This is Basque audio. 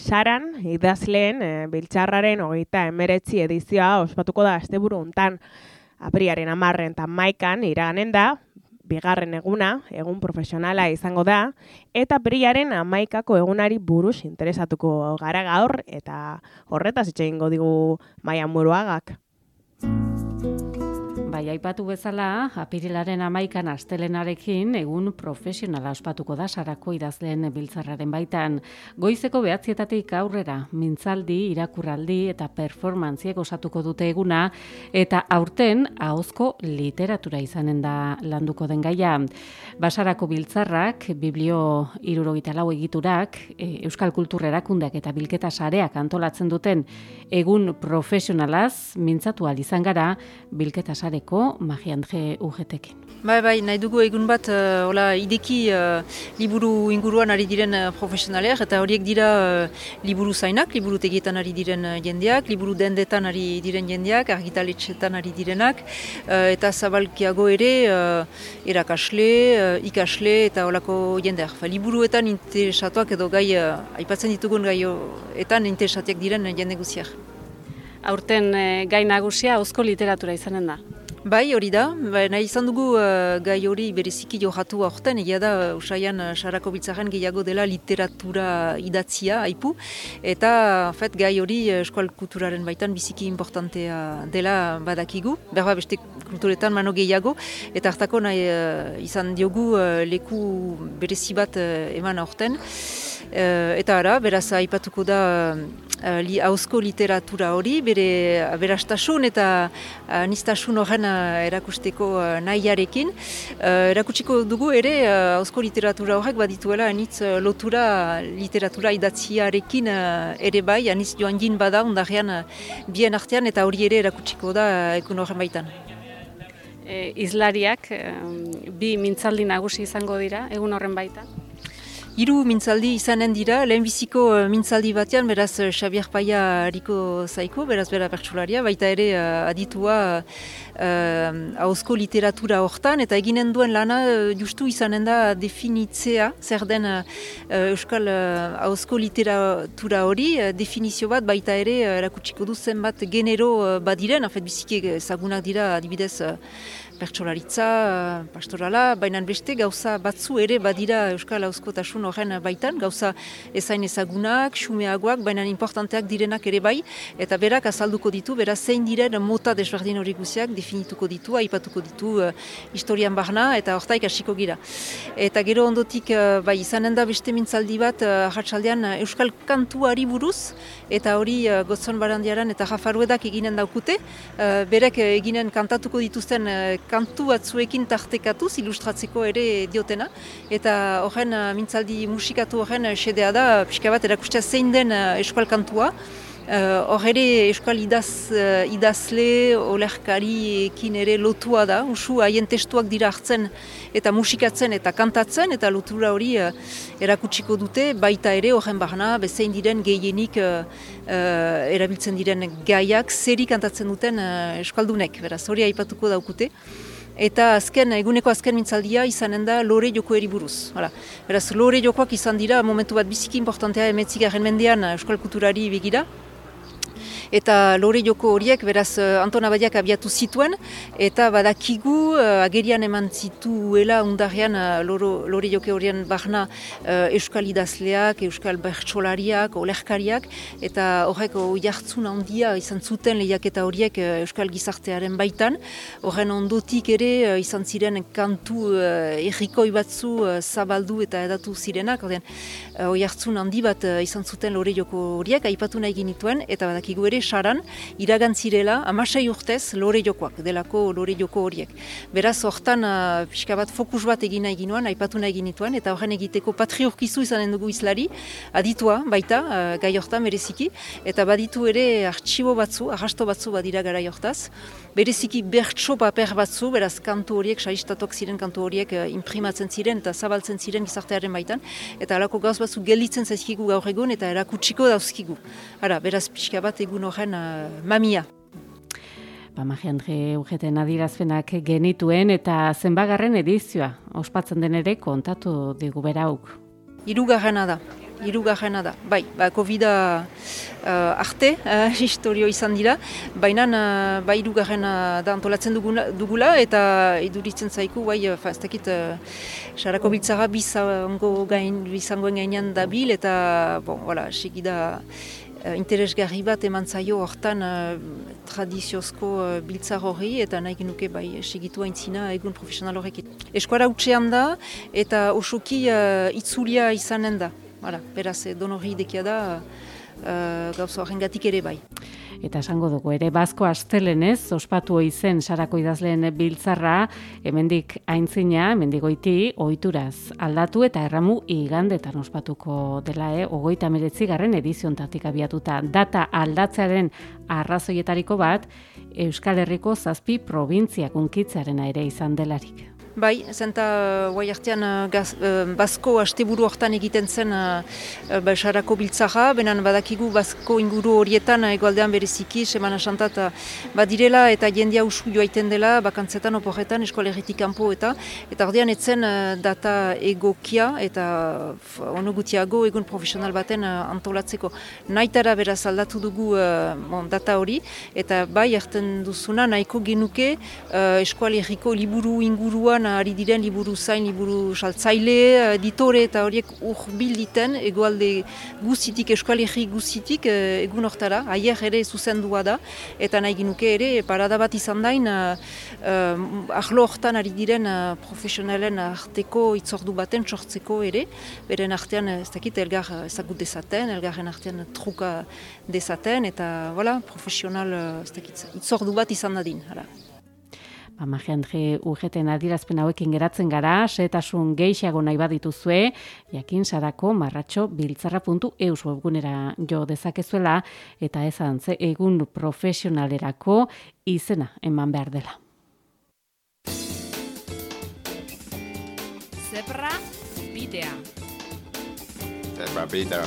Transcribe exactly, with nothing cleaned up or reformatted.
Saran, idazleen e, biltzarraren hogeita emeretzi edizioa ospatuko da asteburu hontan. Apriaren hamarren eta maikan iraganen da, bigarren eguna, egun profesionala izango da, eta apriaren hamaikako egunari buruz interesatuko gara gaur, eta horretaz hitz egingo digu Maia Muruagak. Bai, aipatu bezala, apirilaren hamaikan astelenarekin egun profesionala ospatuko da Sarako idazleen biltzarraren baitan. Goizeko behatzietatik aurrera, mintzaldi, irakurraldi eta performantziek osatuko dute eguna, eta aurten ahozko literatura izanen da landuko den gaia. Basarako biltzarrak, biblio hirurogeita lau egiturak, Euskal Kultur Erakundeak eta Bilketa Sareak antolatzen duten egun profesionalaz mintzatu ahal izan gara Bilketa Sare Mariandre Ugetekin. Bai, bai, nahi dugu egun bat, uh, hola, ideki uh, liburu inguruan ari diren uh, profesionaleak, eta horiek dira uh, liburu zainak, liburu tegietan ari diren uh, jendeak, liburu dendetan ari diren jendeak, argitaletxetan ari direnak, uh, eta zabalkiago ere uh, erakasle, uh, ikasle eta holako jendeak. Fa, liburuetan interesatuak edo gai, uh, aipatzen ditugun gaioetan interesatuak diren uh, jende guziak. Aurten uh, gai nagusia ahozko literatura izanen da. Bai, hori da. Ba, nahi izan dugu uh, gai hori bereziki johatu aurten, egia da uh, usaian uh, Sarako biltzarren gehiago dela literatura idatzia, aipu, eta fet, gai hori uh, Euskal Kulturaren baitan biziki importantea dela badakigu, berba beste kulturetan mano gehiago, eta hartako nahi uh, izan diogu uh, leku berezi bat uh, eman aurten, uh, eta ara, beraz aipatuko da uh, li, ahozko literatura hori, bere aberastasun eta uh, nistasun horren erakusteko uh, nahiarekin. Uh, erakutsiko dugu ere ahozko uh, literatura horrek badituela anitz uh, lotura literatura idatziarekin uh, ere bai, anitz joan jin bada ondarean uh, bien artean, eta hori ere erakutsiko da uh, ekun horren baitan. E, izlariak e, bi mintzaldi nagusi izango dira egun horren baitan? Hiru mintzaldi izanen dira, lehenbiziko uh, mintzaldi batean, beraz uh, Xabier Paia hariko zaiko, beraz bera bertsolaria, baita ere uh, aditua uh, ahozko literatura hortan, eta eginen duen lana uh, justu izanen da definitzea, zer den uh, Euskal uh, ahozko literatura hori, uh, definizio bat baita ere uh, erakutsiko du zenbat genero uh, badiren, afet biziki ezagunak dira adibidez uh, pertsolaritza, pastorala, baina beste gauza batzu ere badira Euskal ahozkotasun horren baitan, gauza ezain ezagunak, xumeagoak, baina importanteak direnak ere bai, eta berak azalduko ditu, beraz zein diren mota desberdin hori guziak definituko ditu, aipatuko ditu uh, historian barna, eta hortaik hasiko gira. Eta gero ondotik, uh, bai, izanen da beste mintzaldi bat, uh, arratsaldean uh, Euskal kantuari buruz, eta hori uh, Gotzon Barandiaran eta Jafaruedak eginen daukute, uh, berek uh, eginen kantatuko dituzten uh, kantu batzuekin tartekatuz, ilustratzeko ere diotena, eta horren uh, mintzaldi musikatu horren uh, xedea da, pixka bat erakustea zein den uh, Euskal kantua, hor uh, ere Euskal idaz, uh, idazle, olerkariekin ere lotua da, usu haien testuak dira hartzen eta musikatzen eta kantatzen, eta lotura hori uh, erakutsiko dute, baita ere horren barna, bezein diren gehienik uh, uh, erabiltzen diren gaiak, zeri kantatzen duten uh, Euskaldunek, beraz hori aipatuko daukute. Eta azken, eguneko azken mintzaldia izanen da lore jokoeri buruz. Hala. Beraz, lore jokoak izan dira momentu bat biziki importantea emetzigarren mendean Euskal Kulturari begira. Eta lore joko horiek, beraz, Anton Abadiak abiatu zituen, eta badakigu uh, agerian eman zituela undarrean uh, lore joke horien barna uh, Euskal idazleak, Euskal bertsolariak, olerkariak, eta horrek oihartzun handia izan zuten lehiaketa horiek uh, Euskal gizartearen baitan. Horren ondotik ere uh, izan ziren kantu uh, errikoi batzu uh, zabaldu eta edatu zirenak, horren uh, oihartzun handi bat uh, izan zuten lore joko horiek, aipatu nahi genituen, eta badakigu ere Saran iragantzirela amasei urtez lore jokoak, delako lore joko horiek. Beraz, hortan uh, pixka bat fokus bat egin nahi ginoan, aipatu nahi ginituen, eta horren egiteko patriorkizu izanen dugu izlari, aditua baita, uh, gai hortan bereziki, eta baditu ere artxibo batzu, arrasto batzu badira garai hortaz, bereziki bertso paper batzu, beraz kantu horiek, saistatuak ziren kantu horiek uh, imprimatzen ziren eta zabaltzen ziren gizartearen baitan, eta alako gauz batzu gelditzen zaizkigu gaur egun eta erakutsiko dauzkigu. Ara, beraz pixka bat egun horren uh, mamia. Ba, Mariandre Ugeten adierazpenak genituen eta zenbagarren edizioa ospatzen den ere kontatu digu berauk. Hirugarrena da. hirugarrena da. Bai, ba, Covida uh, arte, uh, historio izan dira, baina uh, ba, hirugarrena da antolatzen dugula, dugula eta iduritzen zaiku, bai, uh, ez dakit, uh, sarako biltzara bizango gain, bizangoen gainean dabil, eta, bon, voilà, segida uh, interesgarri bat eman zaio hortan uh, tradiziozko uh, biltzar horri, eta nahi genuke bai segitu aintzina egun profesional horrekin. Eskuara utxean da, eta osoki uh, itzulia izanen da. Hala, beraz, donorri idekia da uh, gauza horrengatik ere bai. Eta esango dugu ere, Bazko astelenez, ospatu izen sarako idazleen biltzarra, hemendik aintzina, hemendik goiti, ohituraz aldatu eta erramu igandetan ospatuko dela, eh? Ogoita meretzi garren ediziontatik abiatuta. Data aldatzearen arrazoietariko bat, Euskal Herriko zazpi probintziak unkitzearena ere izan delarik. Bai, zenta guai artean gaz, uh, Bazko asteburu hortan egiten zen uh, uh, sarako biltzara, benen badakigu Bazko inguru horietan egoaldean bereziki, semana santat badirela eta jendea usu joaiten dela, bakantzetan, oporretan, eskolegitik kanpo eta eta ordean etzen uh, data egokia eta uh, ono gutiago egun profesional baten uh, antolatzeko. Naitara beraz aldatu dugu uh, bon, data hori, eta bai erten duzuna nahiko genuke uh, eskolegiko liburu inguruan ari diren liburu zain, liburu saltzaile, editore eta horiek urbil diten, egoalde guzitik, eskualegi guzitik, egun hortara, aier ere zuzendua da, eta nahi ginuke ere, parada bat izan dain, uh, uh, ahlo hortan ari diren uh, profesionalen arteko itzordu baten sortzeko ere, beren artean, ez dakit, elgar ezagut dezaten, elgarren artean truka dezaten, eta voilà, profesional, ez dakit, itzordu bat izan dadin, hala. Amagendre U G T-en adierazpen hauekin geratzen gara, setasun gehiago nahi badituzue, jakin sarako marratxo biltzarra puntu eus webgunera jo dezakezuela, eta ezan ze egun profesionalerako izena eman behar dela. Zebra bidea. Zebra bidea.